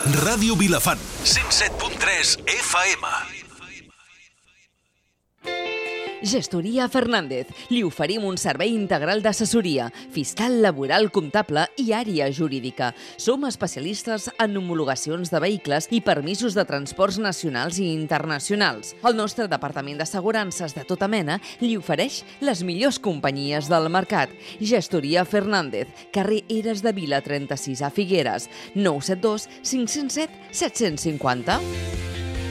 Ràdio Vilafant, 107.3 FM. Gestoria Fernández. Li oferim un servei integral d'assessoria, fiscal, laboral, comptable i àrea jurídica. Som especialistes en homologacions de vehicles i permisos de transports nacionals i internacionals. El nostre departament d'assegurances de tota mena li ofereix les millors companyies del mercat. Gestoria Fernández, carrer Eres de Vila 36 a Figueres, 972 507 750.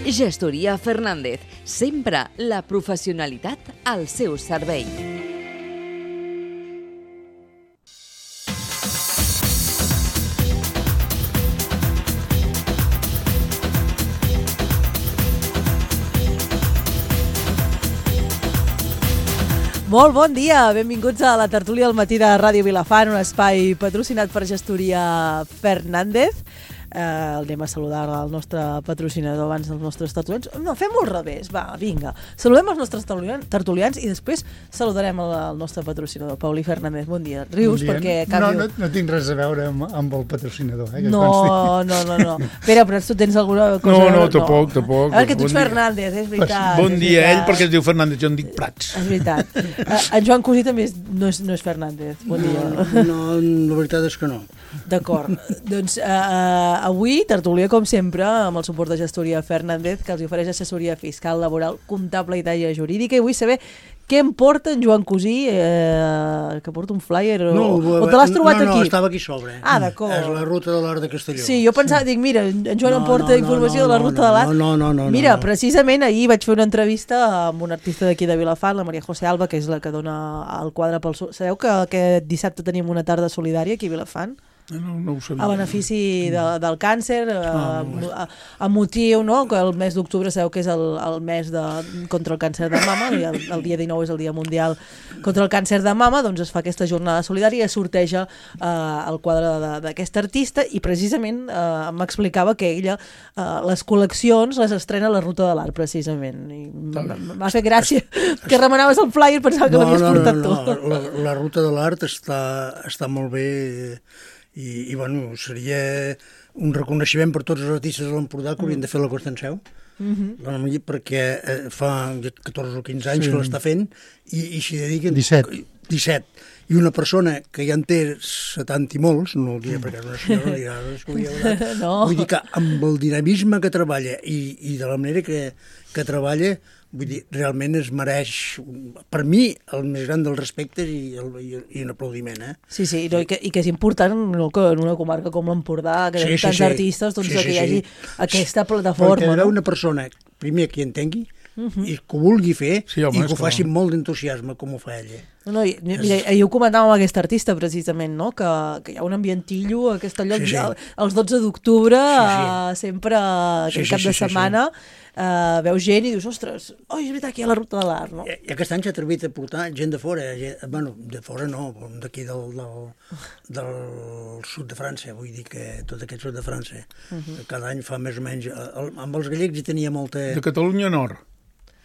Gestoria Fernández, sempre la professionalitat al seu servei. Molt bon dia, benvinguts a la tertúlia al matí de Ràdio Vilafant, un espai patrocinat per Gestoria Fernández. Anem a saludar el nostre patrocinador abans dels nostres tertulians. No, fem-ho al revés, va, vinga. Saludem els nostres tertulians i després saludarem el nostre patrocinador, Paulí Fernández. Bon dia. Rius bon dia. perquè... No tinc res a veure amb el patrocinador. No. Espera, però tu tens alguna cosa... No, tampoc. A veure, que tu ets Fernández, és veritat. Bon dia, ell, perquè es diu Fernández, jo em dic Prats. És veritat. En Joan Cosí també no és Fernández. Bon dia. No, la veritat és que no. D'acord. Doncs avui, tertúlia, com sempre, amb el suport de Gestoria Fernández, que els ofereix assessoria fiscal, laboral, comptable i d'àrea jurídica, i vull saber què em porta en Joan Cosí, que porta un flyer, o te l'has trobat aquí? No, estava aquí sobre. Ah, d'acord. És la ruta de l'Arc de Castelló. Sí, jo pensava, dic, mira, en Joan em porta informació de la ruta de l'Arc. No. Mira, precisament ahir vaig fer una entrevista amb una artista d'aquí de Vilafant, la Maria José Alba, que és la que dona el quadre pel... Sabeu que aquest dissabte tenim una tarda solidària aquí a Vilafant? No ho sabia. A benefici del càncer, a motiu, no? Que el mes d'octubre sabeu que és el mes contra el càncer de mama, i el dia 19 és el dia mundial contra el càncer de mama, doncs es fa aquesta jornada solidària i es sorteja el quadre d'aquesta artista, i precisament m'explicava que ella les col·leccions les estrena a la Ruta de l'Art, precisament. M'ha fet gràcia que remenaves el flyer, pensava que l'havies portat tu. La Ruta de l'Art està molt bé. I bueno, seria un reconeixement per tots els artistes de l'Empordà que haurien de fer la Costa en Seu, perquè fa 14 o 15 anys que l'està fent i s'hi dediquen 17. I una persona que ja en té 70 i molts, no el diré perquè és una senyora, vull dir que amb el dinamisme que treballa i de la manera que treballa, vull dir, realment es mereix, per mi, el més gran dels respectes i un aplaudiment. Sí, i que és important que en una comarca com l'Empordà, que hi ha tants artistes, doncs que hi hagi aquesta plataforma. Perquè hi haurà una persona, primer, que hi entengui, i que ho vulgui fer, i que ho faci amb molt d'entusiasme, com ho fa ella. Mira, ahir ho comentàvem amb aquesta artista, precisament, no? Que hi ha un ambientillo a aquest lloc, els 12 d'octubre, sempre aquell cap de setmana, veus gent i dius, ostres, és veritat que hi ha la Ruta de l'Art, no? I aquest any s'ha atrevit a portar gent de fora, bueno, de fora no, d'aquí del sud de França, vull dir que tot aquest sud de França, cada any fa més o menys, amb els gallecs hi tenia molta... De Catalunya Nord.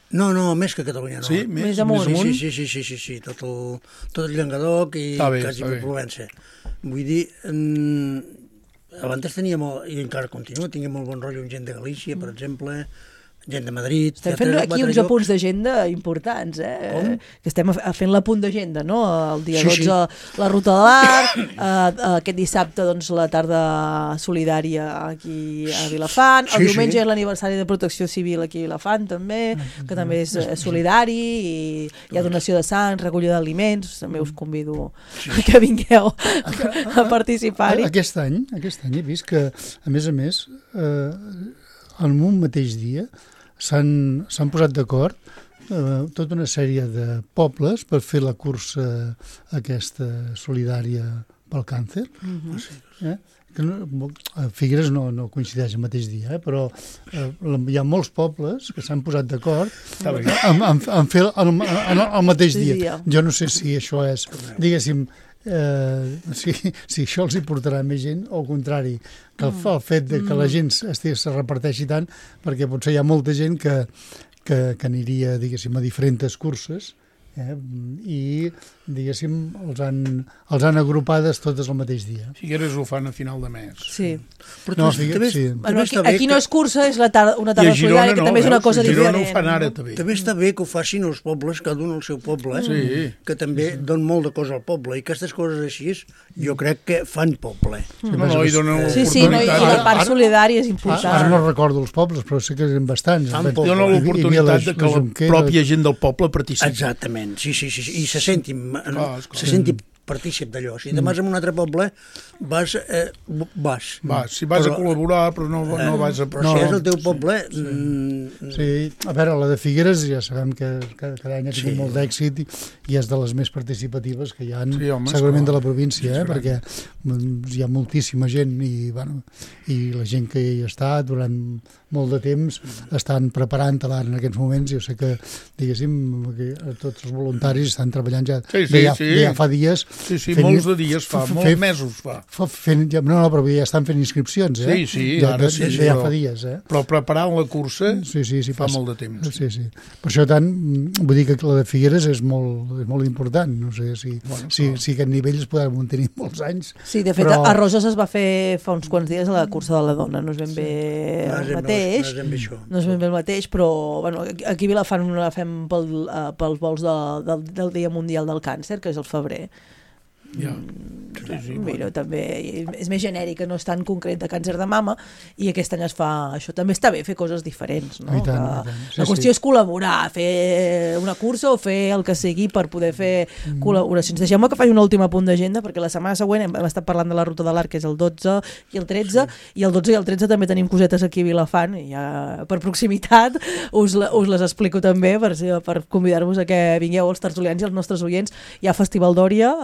No, més que Catalunya Nord. Sí? Més amunt? Sí, tot el Llenguadoc i quasi per Provença. Vull dir, abans tenia molt, i encara continua, tingué molt bon rotllo amb gent de Galícia, per exemple, gent de Madrid... Estem fent aquí uns apunts d'agenda importants, que estem fent l'apunt d'agenda, no? El dia 12 la Ruta de l'Art, aquest dissabte doncs la tarda solidària aquí a Vilafant, el diumenge és l'aniversari de Protecció Civil aquí a Vilafant també, que també és solidari, i hi ha donació de sang, recollida d'aliments, també us convido que vingueu a participar-hi. Aquest any he vist que, a més, en un mateix dia s'han posat d'acord tota una sèrie de pobles per fer la cursa aquesta solidària pel càncer. Figueres no coincideix el mateix dia, però hi ha molts pobles que s'han posat d'acord en fer el mateix dia. Jo no sé si això és, diguéssim, si això els hi portarà més gent, o al contrari, que el fet que la gent se reparteixi tant, perquè potser hi ha molta gent que aniria, diguéssim, a diferents curses, I, diguéssim, els han agrupades totes el mateix dia. Figueres ho fan a final de mes. Sí. Però Aquí no és cursa, és una tarda solidària, que també és una cosa diferent. A Girona ho fan ara, també. També està bé que ho facin els pobles, cada un al seu poble, que també donen molt de cosa al poble, i aquestes coses així jo crec que fan poble. I donen oportunitat. I la part solidària és important. Ara no recordo els pobles, però sé que eren bastants. Donen l'oportunitat que la pròpia gent del poble participi. Exactament, sí, i se senti partícip d'allò. Si te vas a un altre poble, vas. Si vas a col·laborar, però no vas a... Però si és el teu poble... Sí, a veure, la de Figueres ja sabem que cada any ha tingut molt d'èxit i és de les més participatives que hi ha, segurament de la província, perquè hi ha moltíssima gent i la gent que hi està durant molt de temps estan preparant-la en aquests moments. Jo sé que, diguéssim, tots els voluntaris estan treballant ja fa dies. Sí, molts de dies fa, molts mesos fa. Però ja estan fent inscripcions, eh? Ara ja fa dies, eh? Però preparant la cursa fa molt de temps. Sí. Per això tant, vull dir que la de Figueres és molt important. No sé si aquest nivell es podrà mantenir molts anys. Sí, de fet, a Roses es va fer fa uns quants dies a la cursa de la dona. No és ben bé el mateix. No és ben bé el mateix, però aquí a Vilafant la fem pels vols del Dia Mundial del Càncer, que és el febrer. Mira, també és més genèrica, no és tan concret de càncer de mama, i aquest any es fa això. També està bé fer coses diferents, no? La qüestió és col·laborar, fer una cursa o fer el que sigui per poder fer col·laboracions. Deixeu-me que faci un últim apunt d'agenda, perquè la setmana següent hem estat parlant de la Ruta de l'Arc, que és el 12 i el 13, i el 12 i el 13 també tenim cosetes aquí a Vilafant, i ja per proximitat us les explico també per convidar-vos a que vingueu els tertulians i els nostres oients. Hi ha Festival d'Òria,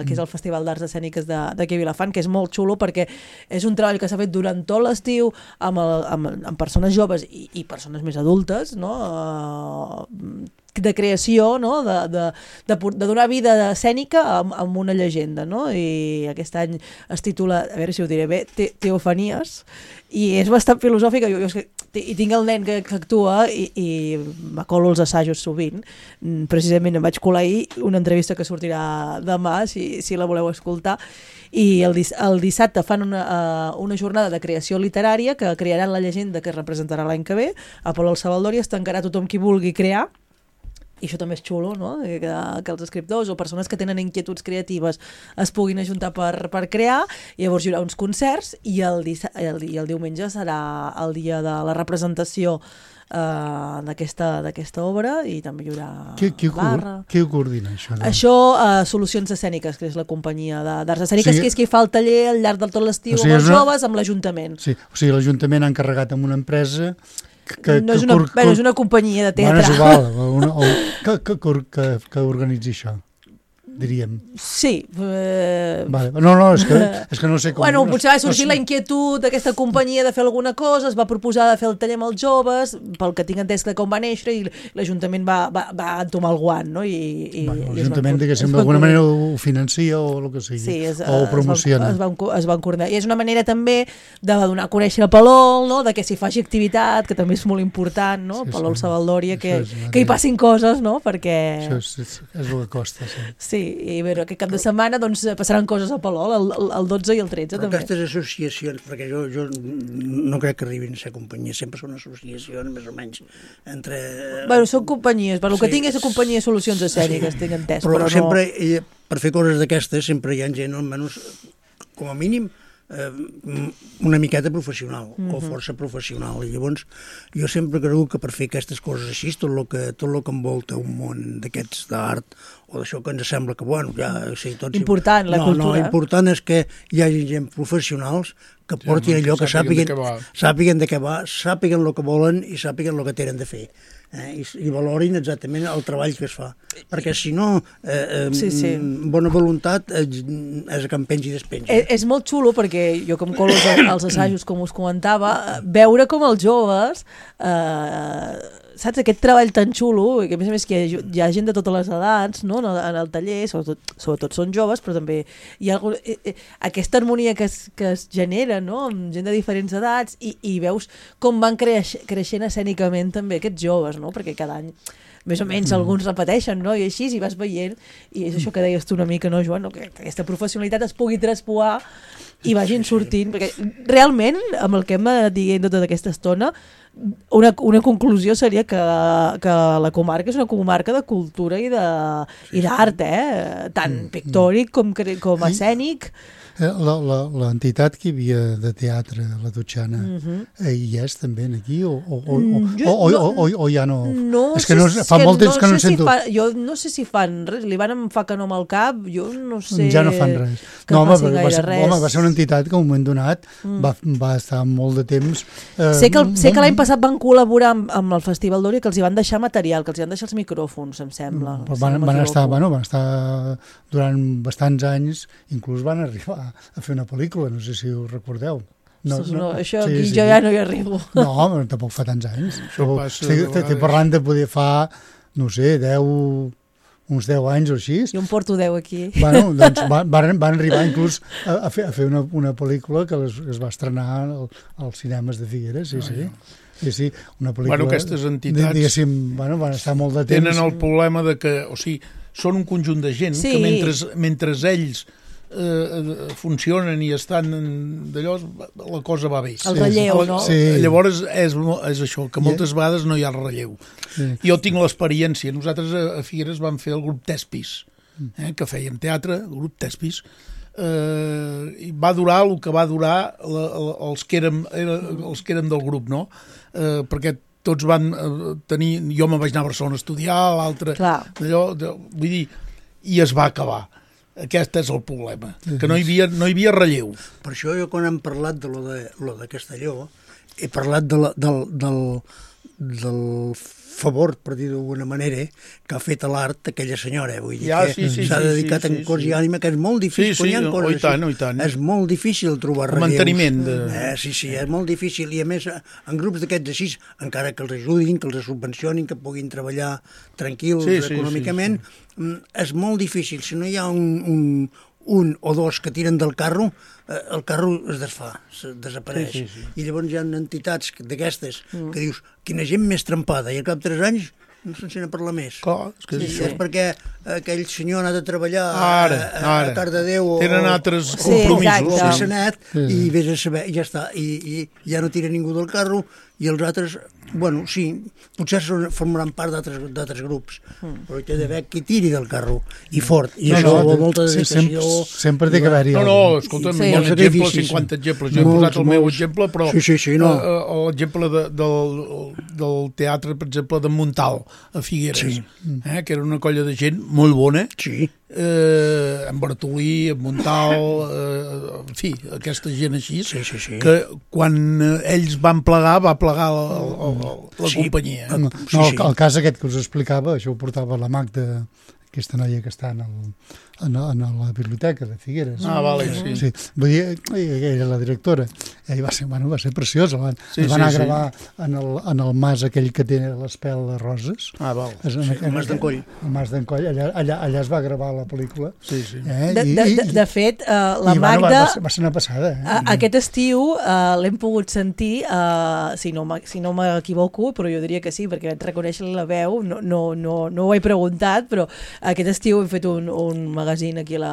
que és el Festival d'Arts Escèniques d'aquí a Vilafant, que és molt xulo perquè és un treball que s'ha fet durant tot l'estiu amb persones joves i persones més adultes, no? De creació, no? de donar vida escènica amb una llegenda, no? I aquest any es titula, a veure si ho diré bé, Teofanies, i és bastant filosòfica. I tinc el nen que actua i m'acolo els assajos sovint. Precisament em vaig colar ahir una entrevista que sortirà demà, si la voleu escoltar, i el dissabte fan una jornada de creació literària que crearan la llegenda que es representarà l'any que ve. A Palau Savaldori es tancarà tothom qui vulgui crear, i això també és xulo, no? Que els escriptors o persones que tenen inquietuds creatives es puguin ajuntar per crear, i llavors hi haurà uns concerts, i el diumenge serà el dia de la representació d'aquesta obra, i també hi haurà barra. Qui ho coordina, això? Això, Solucions Escèniques, que és la companyia d'arts escèniques, que és qui fa el taller al llarg de tot l'estiu amb els joves, amb l'Ajuntament. Sí, o sigui, l'Ajuntament ha encarregat amb una empresa és una companyia de teatre. Que organitzi això, diríem. Sí. No, és que no sé com... Potser va sorgir la inquietud d'aquesta companyia de fer alguna cosa, es va proposar de fer el taller amb els joves, pel que tinc entès que com va néixer, i l'Ajuntament va entomar el guant, no? L'Ajuntament, diguéssim, d'alguna manera ho financia o el que sigui, o ho promociona. Es van coordinar. I és una manera també de donar a conèixer a Palol, no? De que s'hi faci activitat, que també és molt important, no? Palol Savaldòria, que hi passin coses, no? Perquè... Això és el que costa, sí. I bé, aquest cap de setmana passaran coses a Palol, el 12 i el 13 però també. Aquestes associacions, perquè jo no crec que arribin a ser companyies, sempre són associacions més o menys entre... Són companyies, per el que tinc és companyies Solucions Escèniques, tinc entès. Però sempre, per fer coses d'aquestes, sempre hi ha gent, almenys, com a mínim, una miqueta professional o força professional, i llavors jo sempre creu que per fer aquestes coses així, tot el que envolta un món d'aquests d'art o d'això que ens sembla que, important, la cultura. No, l'important és que hi hagi gent professionals que portin allò, que sàpiguen de què va, sàpiguen el que volen i sàpiguen el que tenen de fer. I valorin exactament el treball que es fa, perquè si no bona voluntat és que em pengi i despengi. És molt xulo perquè jo, com colo als assajos, com us comentava, veure com els joves saps, aquest treball tan xulo, que a més que hi ha gent de totes les edats, no?, en el taller, sobretot són joves, però també hi ha aquesta harmonia que es genera, no?, amb gent de diferents edats, i veus com van creixent escènicament també aquests joves, no?, perquè cada any més o menys alguns repeteixen, no?, i així, i vas veient, i és això que deies tu una mica, no, Joan, no? Que aquesta professionalitat es pugui traspoar i vagin sortint, perquè realment, amb el que hem anat dient tota aquesta estona, una conclusió seria que la comarca és una comarca de cultura i d'art, tant pictòric com escènic. L'entitat que hi havia de teatre, la Totxana, hi és també aquí o ja no? No, és que fa molt temps que no en sento. Jo no sé si fan res, li van em fa que no amb el cap, jo no sé. Ja no fan res. No, va ser una entitat que en un moment donat va estar molt de temps. Sé que l'any passat van col·laborar amb el Festival d'Òria, que els hi van deixar material, que els hi van deixar els micròfons, em sembla. Van estar durant bastants anys, inclús van arribar a fer una pel·lícula, no sé si ho recordeu. Això aquí jo ja no hi arribo. No, tampoc fa tants anys. Estic parlant de poder fa, no sé, uns 10 anys o així. Jo em porto 10 aquí. Bueno, doncs van arribar inclús a fer una pel·lícula que es va estrenar als cinemes de Figueres, sí, una pel·lícula... Bueno, aquestes entitats... Diguéssim, van estar molt de temps... Tenen el problema de que, o sigui, són un conjunt de gent que mentre ells funcionen i estan d'allò, la cosa va bé. El relleu, no? Sí. Llavors és això, que moltes vegades no hi ha relleu. Sí. Jo tinc l'experiència. Nosaltres a Figueres vam fer el grup Tespis, que fèiem teatre, el grup Tespis, i va durar el que va durar els que érem del grup, no? Perquè tots van tenir... Jo me'n vaig anar a Barcelona a estudiar, l'altre... Vull dir, i es va acabar. Aquest és el problema, que no hi havia relleu. Per això jo quan hem parlat de lo de Castelló, he parlat del favor, per dir d'alguna manera, que ha fet a l'art aquella senyora. Vull dir que s'ha dedicat en cos i ànima, que és molt difícil. Sí, i tant. És molt difícil trobar relleus. Manteniment. Sí, és molt difícil. I a més, en grups d'aquests així, encara que els ajudin, que els subvencionin, que puguin treballar tranquils econòmicament, és molt difícil. Si no hi ha un o dos que tiren del carro, el carro es desfà, desapareix. Sí. I llavors hi ha entitats d'aquestes que dius, quina gent més trempada, i al cap de 3 anys no se'n sent a parlar més. Clar, és perquè aquell senyor ha anat a treballar a Cardedeu. Tenen altres compromisos. I vés a saber, i ja està. I ja no tira ningú del carro, i els altres, bueno, sí, potser formaran part d'altres grups, però hi ha d'haver qui tiri del carro, i fort, i això vol molta dedicació. Sempre té que haver-hi. Escolta, hi ha un exemple, 50 exemples. Jo he posat el meu exemple, però l'exemple del teatre, per exemple, de Montal, a Figueres, que era una colla de gent molt bona, en Bartolí, en Montal, en fi, aquesta gent així, que quan ells van plegar, va plegar la companyia. El cas aquest que us explicava, això ho portava la Magda, aquesta noia que està en la biblioteca de Figueres. Vale, sí. Vull dir, ella era la directora. I va ser preciosa. Van anar a gravar en el mas aquell que té l'espel de roses. Val. El mas d'Encoll. El mas d'Encoll. Allà es va gravar la pel·lícula. Sí. De fet, la Magda... Va ser una passada. Aquest estiu l'hem pogut sentir, si no m'equivoco, però jo diria que sí, perquè vaig reconèixer la veu, no ho he preguntat, però aquest estiu hem fet un magazín aquí a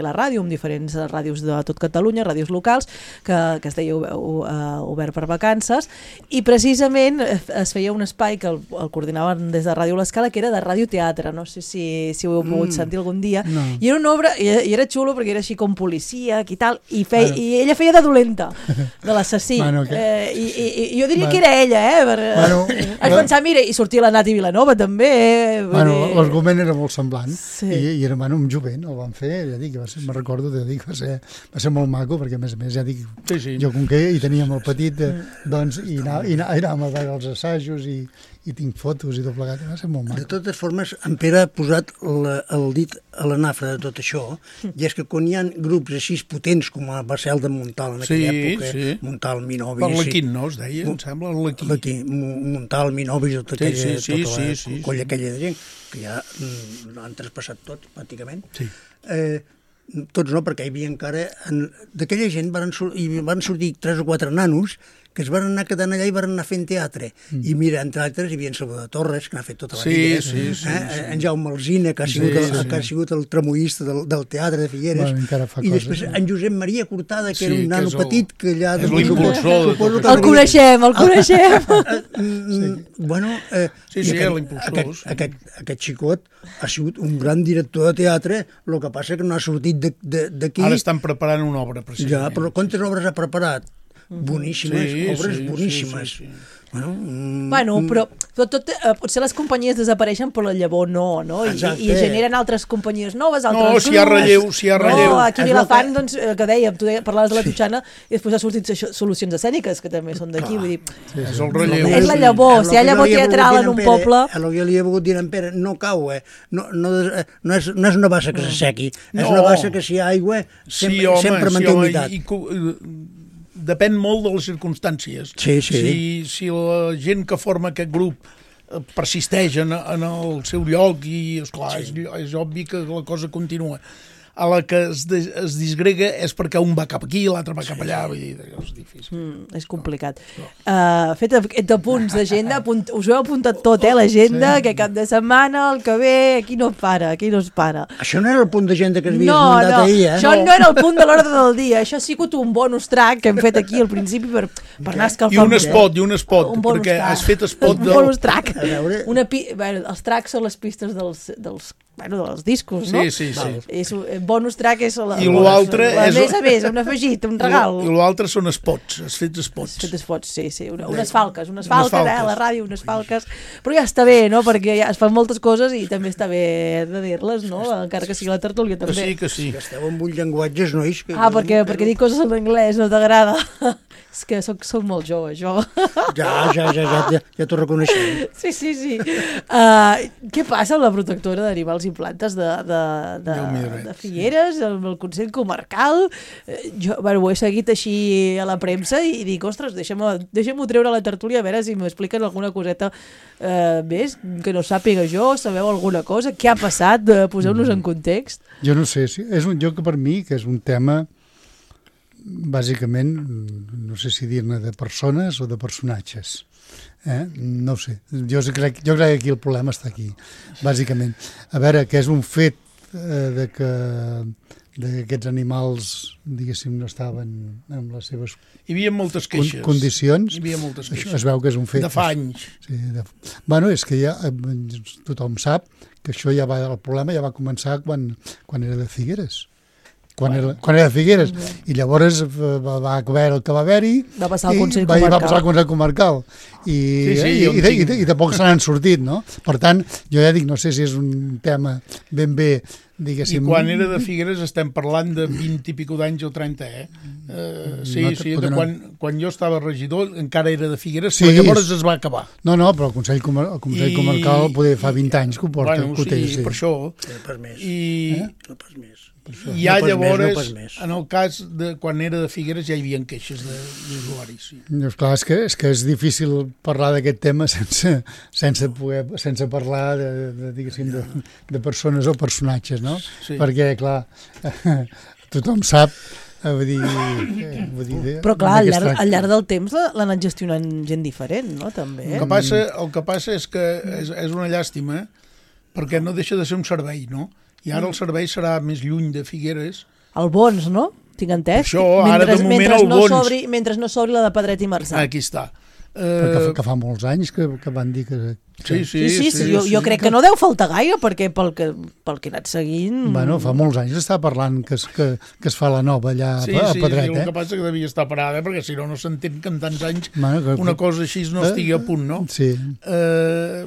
la ràdio, amb diferents ràdios de tot Catalunya, ràdios locals, que es deia Obert per Vacances, i precisament es feia un espai que el coordinaven des de Ràdio L'Escala, que era de radioteatre, no sé si ho heu pogut sentir algun dia, i era una obra, i era xulo perquè era així com policíac i tal, i ella feia de dolenta, de l'assassí, i jo diria que era ella, vaig pensar, mira, i sortia la Nati Vilanova també. L'argument era molt semblant, i era un jovent, el van fer, ja dic, me'n recordo, va ser molt maco, perquè a més, ja dic, jo com que hi teníem el petit, doncs, i anàvem a veure els assajos, i i tinc fotos i tot plegat, va ser molt De maco. totes formes, en Pere ha posat el dit a la nafra de tot això, i és que quan hi ha grups així potents com va ser el de Montal en aquella època, Montal, Minovis... Per l'Aquín, no, es deia, em sembla, l'Aquín. Montal, Minovis, tota la colla aquella de gent, que ja han traspassat tots, pràcticament. Sí. Tots no, perquè hi havia encara... D'aquella gent van sortir 3 o 4 nanos que es van anar quedant allà i van anar fent teatre. I mira, entre altres, hi havia en Salvador Torres, que n'ha fet tota la vida. En Jaume Alsina, que ha sigut el tramoista del teatre de Figueres. I després en Josep Maria Cortada, que era un nano petit, que allà... És l'impulsor. El coneixem. Bueno, aquest xicot ha sigut un gran director de teatre, el que passa que no ha sortit d'aquí... Ara estan preparant una obra, precisament. Ja, però quantes obres ha preparat? Boníssimes, obres boníssimes. Bueno, però potser les companyies desapareixen però la llavor no? I generen altres companyies noves, altres grups. No, si hi ha relleu. No, aquí a Vilafant, doncs, que dèiem, tu parlaves de la Totxana i després ha sortit solucions escèniques, que també són d'aquí, vull dir... És el relleu. És la llavor, si hi ha llavor teatral en un poble... El que li he volgut dir a en Pere, no cau, no és una bassa que s'assequi, és una bassa que si hi ha aigua sempre manté humitat. Depèn molt de les circumstàncies. Sí. Si la gent que forma aquest grup persisteix en el seu lloc i, esclar, és obvi que la cosa continua. A la que es disgrega és perquè un va cap aquí i l'altre va cap allà. Vull dir, és difícil. És complicat. Fet aquest apunts d'agenda, us ho heu apuntat tot, l'agenda, que cap de setmana, el que ve, aquí no es para. Això no era el punt d'agenda que havies muntat ahir, Això no era el punt de l'ordre del dia. Això ha sigut un bonus track que hem fet aquí al principi per anar escalfant. I un spot, perquè has fet spot del... Un bonus track. Els tracks són les pistes dels discos, no? Sí. Bonus track és i l'altre és... A més, un afegit, un regal. I l'altre són spots, has fet spots. Sí. Unes falques, a la ràdio, unes falques. Però ja està bé, no? Perquè ja es fan moltes coses i també està bé de dir-les, no? Encara que sigui la tertúlia, també. Que sí. Que esteu amb un llenguatges, nois. Perquè dic coses en anglès no t'agrada. És que soc molt jove, jo. Ja t'ho reconeixem. Sí. Què passa amb la protectora d'animals i plantes de Figueres, el Consell Comarcal? Jo ho he seguit així a la premsa i dic, ostres, deixem-ho treure a la tertúlia a veure si m'expliquen alguna coseta més que no sàpiga jo, sabeu alguna cosa? Què ha passat? Poseu-nos en context. Jo no sé, és un joc per mi que és un tema bàsicament, no sé si dir-ne de persones o de personatges. No ho sé. Jo crec que aquí el problema està aquí, bàsicament. A veure, que és un fet que aquests animals, diguéssim, no estaven en les seves hi havia moltes queixes. Condicions. Hi havia moltes queixes. Això es veu que és un fet. De fa anys. Sí, bueno, és que ja tothom sap que això el problema ja va començar quan era de Figueres. Quan era de Figueres. I llavors va haver el que va haver-hi va passar al Consell Comarcal. Va passar al Consell Comarcal. I tampoc se n'han sortit, no? Per tant, jo ja dic, no sé si és un tema ben bé, diguéssim... I quan era de Figueres estem parlant de 20 i pico d'anys o 30, quan jo estava regidor encara era de Figueres, però llavors es va acabar. No, però el Consell Comarcal poder fa 20 anys que ho porta. Per això. No pas més. No pas més. I ja llavors, en el cas de quan era de Figueres, ja hi havia queixes d'usuaris. Clar, és que és difícil parlar d'aquest tema sense parlar de persones o personatges, no? Perquè, clar, tothom sap, però clar, al llarg del temps l'han anat gestionant gent diferent, no? També. El que passa és que és una llàstima perquè no deixa de ser un servei, no? I ara el servei serà més lluny de Figueres. El Bons, no? Tinc entès. Això, ara de moment el Bons. Mentre no s'obri la de Pedret i Marçà. Aquí està. Que fa molts anys que van dir que Sí. Jo crec que no deu faltar gaire, perquè pel que he anat seguint... Bueno, fa molts anys està parlant que es fa la nova allà a Pedret, Sí, el que passa que devia estar parada, perquè si no s'entén que en tants anys bueno, una cosa així no estigui a punt, no? Sí.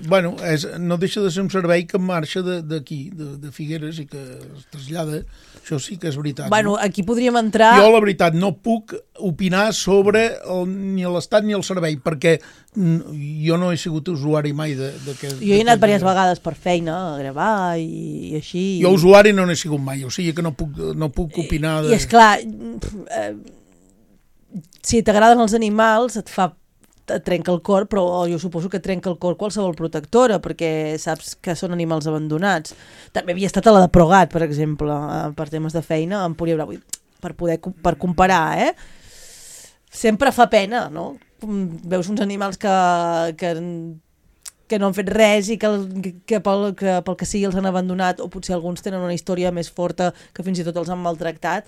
Bueno, no deixa de ser un servei que marxa d'aquí, de Figueres, i que es trasllada. Això sí que és veritat. Bueno, no? Aquí podríem entrar... Jo, la veritat, no puc opinar sobre ni l'Estat ni el servei, perquè jo no he sigut usuari mai d'aquest... Jo he anat diverses vegades per feina a gravar i així... Jo usuari no n'he sigut mai, o sigui que no puc opinar de... I esclar, si t'agraden els animals et trenca el cor, però jo suposo que trenca el cor qualsevol protectora, perquè saps que són animals abandonats. També havia estat a la de Progat, per exemple, per temes de feina, a Empúria Bravo, per comparar, sempre fa pena, no? Veus uns animals que no han fet res i que pel que sigui els han abandonat, o potser alguns tenen una història més forta que fins i tot els han maltractat.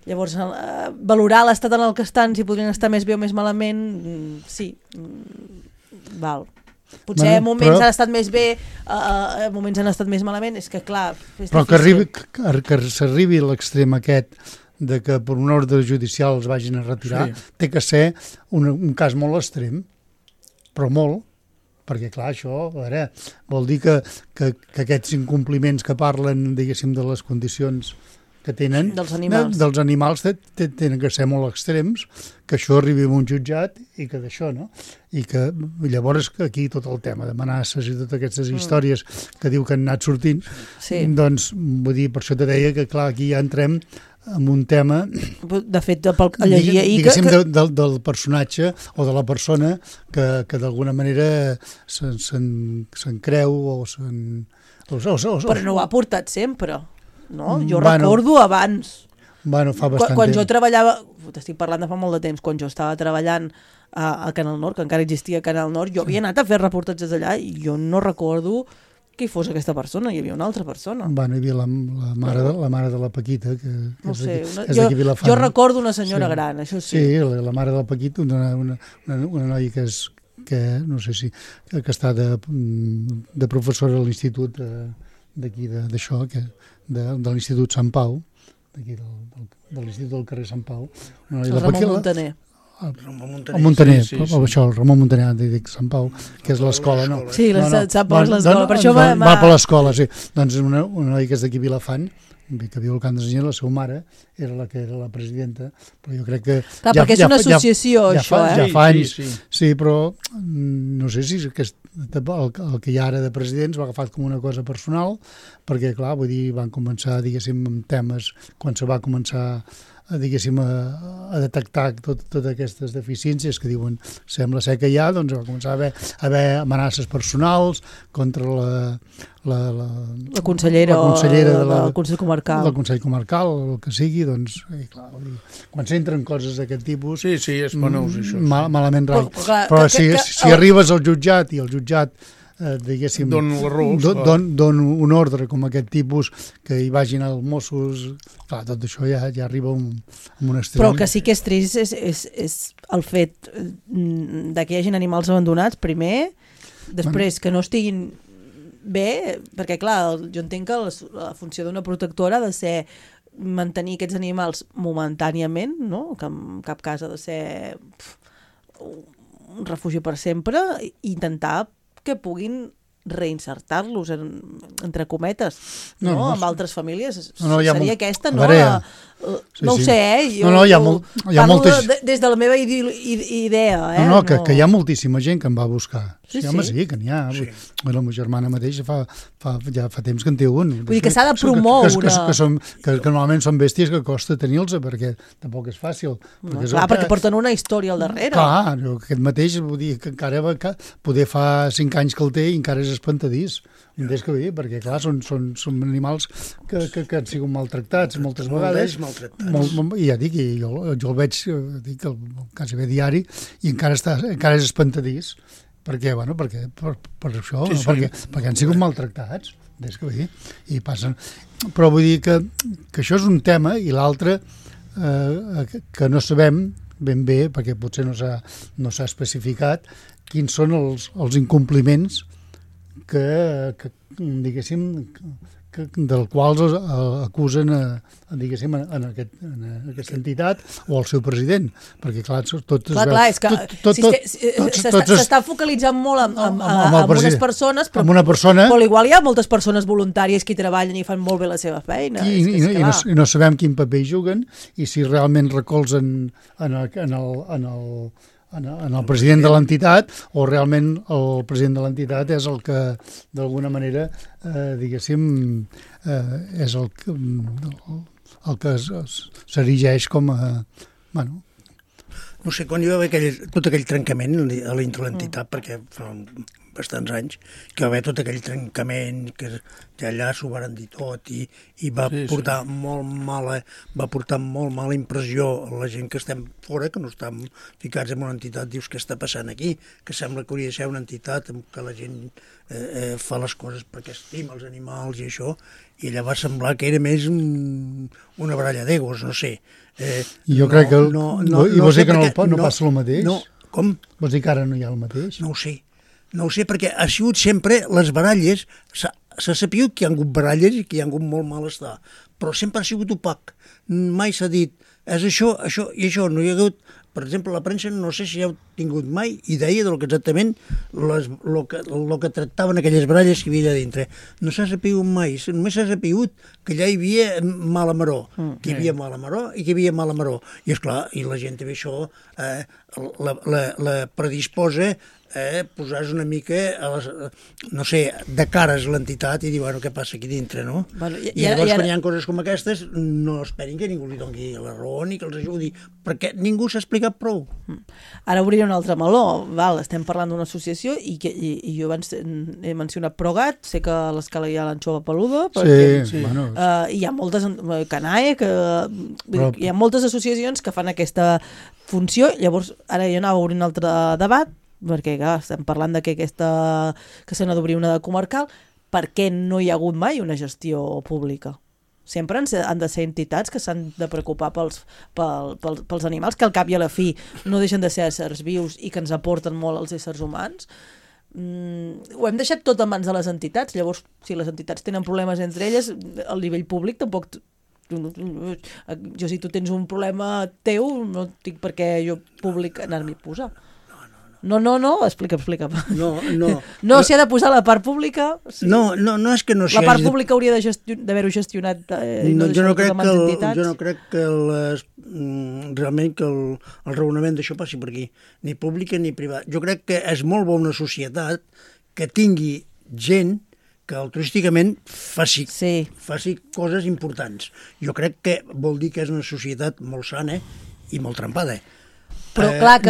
Llavors, valorar l'estat en el que estan, si podrien estar més bé o més malament, sí, val. Potser moments han estat més bé, moments han estat més malament, és que clar... Però que s'arribi a l'extrem aquest de que per un ordre judicial els vagin a retirar, té que ser un cas molt extrem, però molt, perquè clar, això, a veure, vol dir que aquests incompliments que parlen, diguéssim, de les condicions que tenen dels animals tenen que ser molt extrems, que això arribi a un jutjat i que d'això, no? I que llavors aquí tot el tema d'amenaces i totes aquestes històries que diu que han anat sortint, doncs vull dir, per això te deia que clar, aquí ja entrem en un tema de fet, diguéssim, del personatge o de la persona que d'alguna manera se'n creu o se'n... Però no ho ha portat sempre. No? Jo recordo abans, fa bastant quan temps. Jo treballava, t'estic parlant de fa molt de temps, quan jo estava treballant a Canal Nord, que encara existia Canal Nord, jo havia anat a fer reportatges allà i jo no recordo que hi fos aquesta persona, hi havia una altra persona. Hi havia la mare de la Paquita, que no sé, és d'aquí Vilafant. Jo recordo una senyora gran, això sí. Sí, la mare de la Paquita, una noia que no sé si, que està de professora a l'institut d'aquí, d'això, de l'Institut Sant Pau, d'aquí de l'Institut del carrer Sant Pau. El Ramon Muntaner. El Muntaner, això, el Ramon Muntaner, dic Sant Pau, que és l'escola, no? Sí, Sant Pau és l'escola, per això va per l'escola, sí. Doncs una noia que és d'aquí Vilafant, que viu al Camp de Senyera, la seva mare era la que era la presidenta, però jo crec que... Clar, perquè és una associació, això, Ja fa anys, sí, però no sé si el que hi ha ara de presidents va agafat com una cosa personal, perquè, clar, vull dir, van començar, diguéssim, amb temes, quan se va començar diguéssim, a detectar totes aquestes deficiències que diuen sembla ser que hi ha, doncs va començar a haver amenaces personals contra la consellera del Consell Comarcal. Del Consell Comarcal, el que sigui, doncs, clar, quan s'entren coses d'aquest tipus... Sí, és penós, això. Malament rai. Però si arribes al jutjat i el jutjat diguéssim, don un ordre com aquest tipus, que hi vagin els Mossos, clar, tot això ja arriba a un extrem. Però el que sí que és trist és el fet de que hi hagin animals abandonats, primer, després que no estiguin bé, perquè clar, jo entenc que la funció d'una protectora ha de ser mantenir aquests animals momentàniament, no? Que en cap cas ha de ser un refugi per sempre, i intentar que puguin reinsertar-los, entre cometes, amb altres famílies. Seria aquesta, no? No ho sé, parlo des de la meva idea. Que hi ha moltíssima gent que em va buscar. Sí, que n'hi ha. La meva germana mateixa ja fa temps que en té un. Vull dir que s'ha de promoure. Que normalment són bèsties que costa tenir-los, perquè tampoc és fàcil. Clar, perquè porten una història al darrere. Clar, aquest mateix, vull dir que encara poder fa 5 anys que el té i encara és espantadís. Perquè clar, són animals que han sigut maltractats moltes vegades. I ja dic, jo el veig quasi bé diari i encara és espantadís. Perquè, per això, perquè han sigut maltractats, i passen. Però vull dir que això és un tema, i l'altre, que no sabem ben bé, perquè potser no s'ha especificat, quins són els incompliments que diguéssim, del quals acusen diguéssim, en aquesta entitat o el seu president, perquè clar, tot es veu... és que s'està focalitzant molt en unes persones, però igual hi ha moltes persones voluntàries que hi treballen i fan molt bé la seva feina. I no sabem quin paper hi juguen i si realment recolzen en el president de l'entitat o realment el president de l'entitat és el que d'alguna manera diguéssim és el que s'erigeix com a... Bueno. No sé, quan hi va haver tot aquell trencament a dintre l'entitat, perquè fa bastants anys que va haver tot aquell trencament, que allà s'ho varen dir tot i va portar molt mala impressió a la gent que estem fora, que no estem ficats en una entitat. Dius, què està passant aquí? Que sembla que hauria de ser una entitat en què la gent fa les coses perquè estima els animals i això, i allà va semblar que era més una baralla d'egos, no sé. Jo crec que... I vols dir que no passa el mateix? No, com? Vols dir que ara no hi ha el mateix? No ho sé, perquè ha sigut sempre les baralles, s'ha sabut que hi ha hagut baralles i que hi ha hagut molt malestar, però sempre ha sigut opac. Mai s'ha dit, és això i això. No hi ha hagut, per exemple, la premsa no sé si heu tingut mai idea del que exactament el que tractaven aquelles baralles que hi havia allà dintre. No s'ha sabut mai, només s'ha sabut que allà hi havia mala maror, que hi havia mala maror i que hi havia mala maror. I esclar, i la gent també això la predisposa posar una mica, no sé, de cares l'entitat i dir, bueno, què passa aquí dintre, no? Bueno, I llavors, quan hi ha coses com aquestes, no esperin que ningú li doni la raó ni que els ajudi, perquè ningú s'ha explicat prou. Ara obriré un altre meló, estem parlant d'una associació i jo abans he mencionat Progat, sé que a l'escala hi ha l'anxova peluda, bueno. Hi ha moltes, Canae, hi ha moltes associacions que fan aquesta funció. Llavors, ara jo anava a obrir un altre debat, perquè estem parlant de que se n'ha d'obrir una de comarcal. Per què no hi ha hagut mai una gestió pública? Sempre han de ser entitats que s'han de preocupar pels animals, que al cap i a la fi no deixen de ser éssers vius i que ens aporten molt als éssers humans. Ho hem deixat tot en mans de les entitats. Llavors, si les entitats tenen problemes entre elles, al nivell públic tampoc... Jo, si tu tens un problema teu, no tinc per què jo públic anar-m'hi a posar. No, explica. No, s'hi ha de posar la part pública. Sí. No, és que no s'hi hagi... La part pública hauria d'haver-ho gestionat i no deixar-ho tot a mans d'entitats. Jo no crec que realment que el raonament d'això passi per aquí, ni pública ni privada. Jo crec que és molt bona una societat que tingui gent que altruísticament faci coses importants. Jo crec que vol dir que és una societat molt sana i molt trempada. Però clar,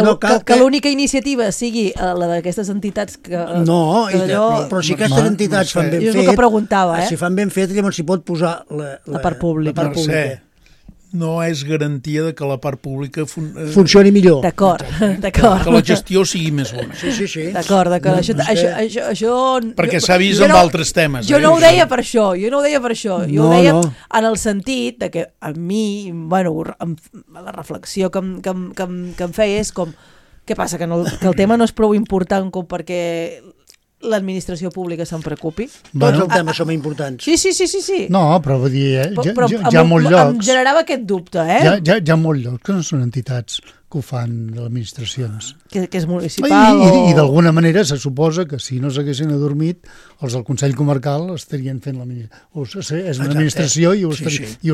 que l'única iniciativa sigui la d'aquestes entitats que... No, però si aquestes entitats fan ben fet... És el que preguntava, Si fan ben fet, llavors s'hi pot posar la part pública. No és garantia de que la part pública funcioni millor. D'acord. Que la gestió sigui més bona. Sí. D'acord. Això... Perquè s'ha vist amb altres temes. Jo no ho deia per això. Jo ho deia en el sentit de que a mi, la reflexió que em feia és com, què passa, que el tema no és prou important com perquè l'administració pública se'n preocupi? Tots els temes són importants. Sí. No, però vull dir, hi ha molts llocs... Em generava aquest dubte, Hi ha molts llocs que no són entitats que ho fan de les administracions. Que és municipal I d'alguna manera se suposa que si no s'haguessin adormit, els del Consell Comarcal estarien fent és una administració i ho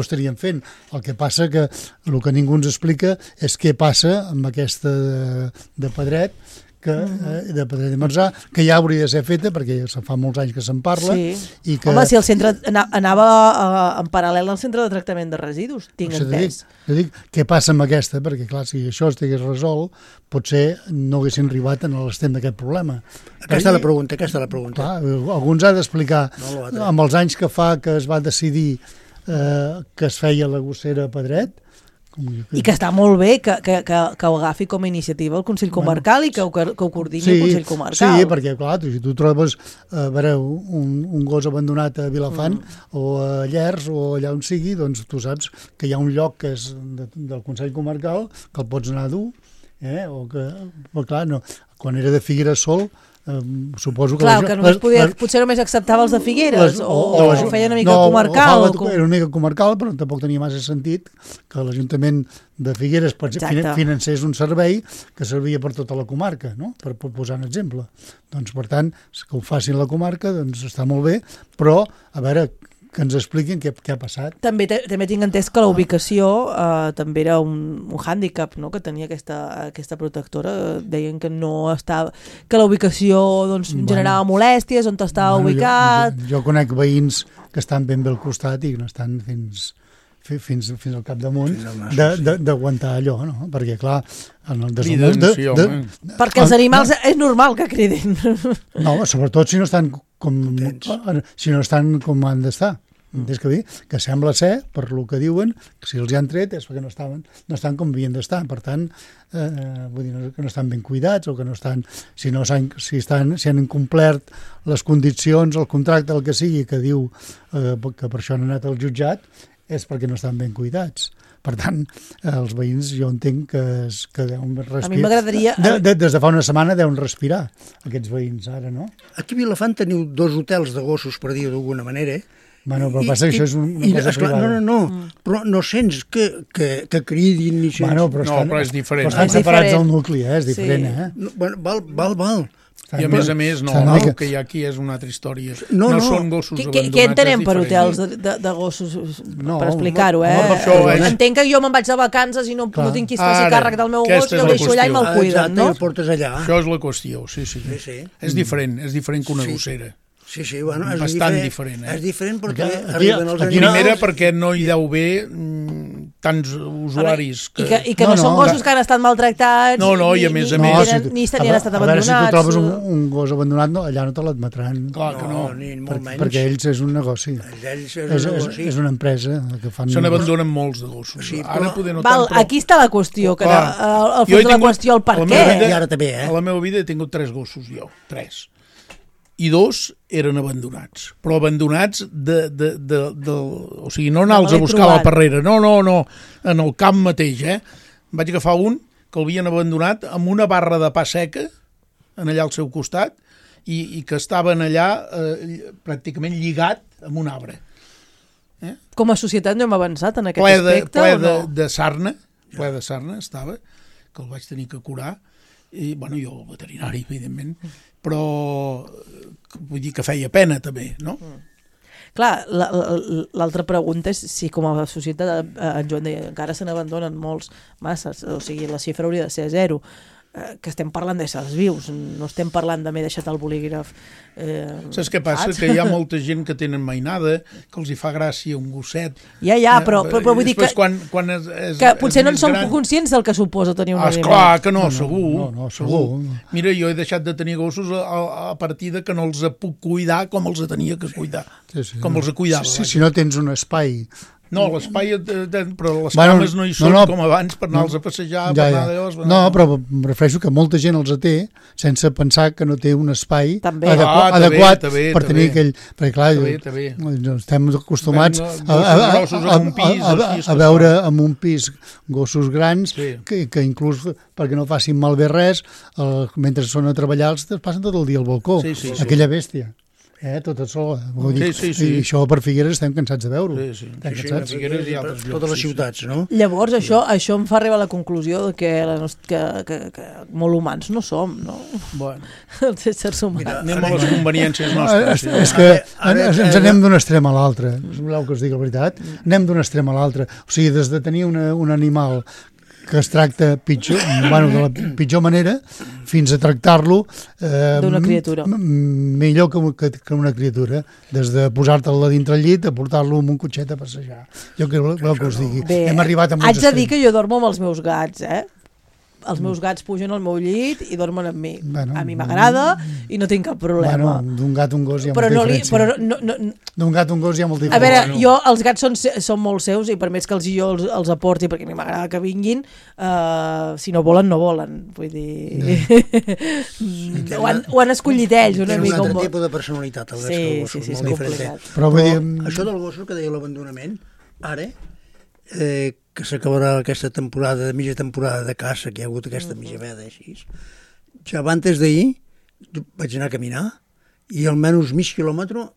estarien fent. El que passa que el que ningú ens explica és què passa amb aquesta de Pedret, de Pedret i Marzà, que ja hauria de ser feta perquè ja fa molts anys que se'n parla. I que... Home, si el centre anava en paral·lel al centre de tractament de residus, tinc entès. Jo dic, què passa amb aquesta? Perquè clar, si això estigués resolt, potser no haguessin arribat a l'extrem d'aquest problema. Aquesta és la pregunta. Clar, alguns ha d'explicar, amb els anys que fa que es va decidir que es feia la gossera a Pedret, I que està molt bé que ho agafi com a iniciativa el Consell Comarcal i que ho coordini el Consell Comarcal. Sí, perquè, clar, si tu trobes un gos abandonat a Vilafant o a Llers o allà on sigui, doncs tu saps que hi ha un lloc que és del Consell Comarcal que el pots anar a dur, o que, però clar, no, quan era de Figueres sol, suposo que... Clar, que només potser només acceptava els de Figueres o feia una mica comarcal. Era una mica comarcal, però tampoc tenia massa sentit que l'Ajuntament de Figueres financés un servei que servia per tota la comarca, no? Per posar un exemple. Doncs, per tant, que ho facin la comarca, doncs està molt bé, però, a veure, que ens expliquin què ha passat. També tinc entès que la ubicació també era un hàndicap, no?, que tenia aquesta protectora. Deien que no estava, que la ubicació doncs, generava molèsties, on estava ubicat... Jo conec veïns que estan ben bé al costat i no estan fins al capdamunt d'aguantar allò, no? Perquè, clar, en el perquè els animals és normal que cridin. No, sobretot si no estan com han d'estar. És que dir, que sembla ser, per lo que diuen, que si els hi han tret és perquè no estan com havien d'estar. Per tant, vull dir, que no estan ben cuidats o que no estan, si han incomplert les condicions, el contracte, el que sigui, que diu que per això han anat al jutjat, és perquè no estan ben cuidats. Per tant, els veïns jo entenc que deuen respirar. A mi m'agradaria... Des de fa una setmana deuen respirar, aquests veïns, ara, no? Aquí a Vilafant teniu 2 hotels de gossos, per dir-ho d'alguna manera, Bueno, però passa que això és una cosa privada. No, però no sents que cridin ni sents... Bueno, però és diferent. Però estan separats del nucli, és diferent, Val. I a més, no, el que hi ha aquí és una altra història. No són gossos abandonats. Què entenem per hotels de gossos? Per explicar-ho, Entenc que jo me'n vaig de vacances i no tinc qui es faci càrrec del meu gos i el deixo allà i me'l cuiden, no? Això és la qüestió, sí. És diferent que una gossera. Sí, bueno, és bastant diferent. És diferent perquè arriben els animals... Primera, perquè no hi deu haver tants usuaris. I que no són gossos que han estat maltractats i a més ni han estat abandonats. A veure, si tu trobes un gos abandonat, allà no te l'admetran. Clar que no. Ni molt menys. Perquè ells és un negoci. És una empresa que fan... Se n'abandonen molts de gossos. Ara poder no tant, però... Aquí està la qüestió, que al fons de la qüestió, el per què. I ara també, A la meva vida he tingut 3 gossos, jo. 3. I 2 eren abandonats, però abandonats o sigui, no anar-los a buscar a la parrera, no, en el camp mateix, Vaig agafar un que l'havien abandonat amb una barra de pa seca, allà al seu costat, i que estaven allà pràcticament lligat amb un arbre. Com a societat no hem avançat en aquest aspecte, o no? Ple de sarna estava, que el vaig tenir que curar, i, bueno, jo, el veterinari, evidentment, però vull dir que feia pena també, no? Clar, l'altra pregunta és si com a societat, en Joan deia, encara se n'abandonen molts masses, o sigui, la xifra hauria de ser 0, que estem parlant d'éssers vius, no estem parlant de m'he deixat el bolígraf. Saps què passa? Que hi ha molta gent que tenen mainada, que els hi fa gràcia un gosset. Ja, però vull dir que potser no en som conscients del que suposa tenir un animal. Esclar que no, segur. No, segur. Mira, jo he deixat de tenir gossos a partir de que no els puc cuidar com els tenia que cuidar. Com els cuidava. Si no tens un espai... No, l'espai, però les cames no hi són com abans per anar-los a passejar, per anar d'allò... No, però em refereixo que molta gent els té sense pensar que no té un espai adequat per tenir aquell... Perquè, clar, estem acostumats a veure en un pis gossos grans que inclús perquè no facin malbé res, mentre són a treballar els passen tot el dia al balcó, aquella bèstia. Tota sola. I això per Figueres estem cansats de veure-ho. Figueres i altres llocs. Totes les ciutats, no? Llavors, això em fa arribar a la conclusió que molt humans no som, no? Bueno. Els éssers humans. Anem a les conveniències nostres. És que ens anem d'un extrem a l'altre. Voleu que us digui la veritat? Anem d'un extrem a l'altre. O sigui, des de tenir un animal que es tracta pitjor, de la pitjor manera, fins a tractar-lo d'una criatura. Millor que una criatura, des de posar-te'l dintre el llit a portar-lo amb un cotxet a passejar. Jo crec que us digui. Bé, hem arribat a molts haig de dir que jo dormo amb els meus gats, els meus gats pugen al meu llit i dormen amb mi. A mi m'agrada i no tinc cap problema. D'un gat a un gos hi ha molta diferència. D'un gat a un gos hi ha molta diferència. A veure, jo, els gats són molt seus i per més que jo els aporti, perquè a mi m'agrada que vinguin, si no volen, no volen. Vull dir... Ho han escollit ells una mica. Té un altre tipus de personalitat, els gats que els gossos, molt diferent. Però això del gossos que deia l'abandonament, ara, que s'acabarà aquesta temporada, mitja temporada de caça, que hi ha hagut aquesta mitja veda així, ja abans d'ahir vaig anar a caminar i almenys mig quilòmetre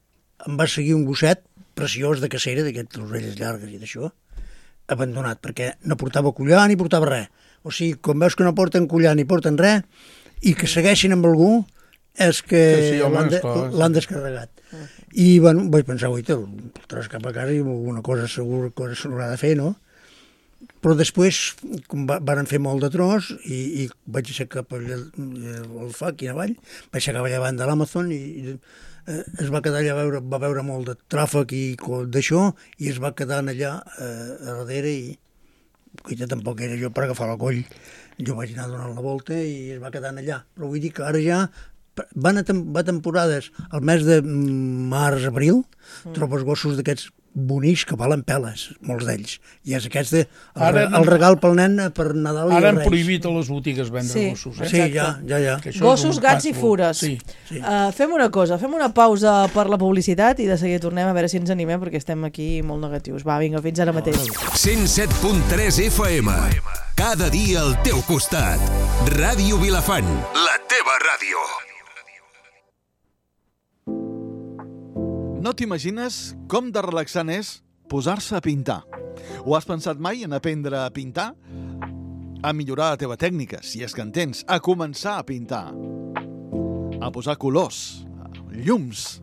em va seguir un gosset preciós de cacera, d'aquestes orelles llargues i d'això, abandonat, perquè no portava collar ni portava res. O sigui, quan veus que no porten collar ni porten res i que segueixin amb algú, és que l'han descarregat. I, bueno, vaig pensar, oi, te'l portaràs cap a casa i alguna cosa segur que se n'haurà de fer, no? Però després van fer molt de tros i vaig aixecar cap al FAC i avall, vaig aixecar davant de l'Amazon i es va quedar allà, va veure molt de tràfic i d'això i es va quedar allà a darrere i tampoc era jo per agafar la coll. Jo vaig anar donant la volta i es va quedar allà. Però vull dir que ara ja va temporades, al mes de març-abril, trobes gossos d'aquests bonics que valen peles, molts d'ells. I és aquest el regal pel nen per Nadal i Reis. Ara han Reis. prohibit a les botigues vendre gossos. Sí, ja. Gossos, gats i fures. Sí. Fem una cosa, fem una pausa per la publicitat i de seguida tornem a veure si ens animem perquè estem aquí molt negatius. Va, vinga, fins ara mateix. 107.3 FM. Cada dia al teu costat. Ràdio Vilafant, la teva ràdio. No t'imagines com de relaxant és posar-se a pintar. Ho has pensat mai en aprendre a pintar? A millorar la teva tècnica, si és que en tens. A començar a pintar. A posar colors, llums.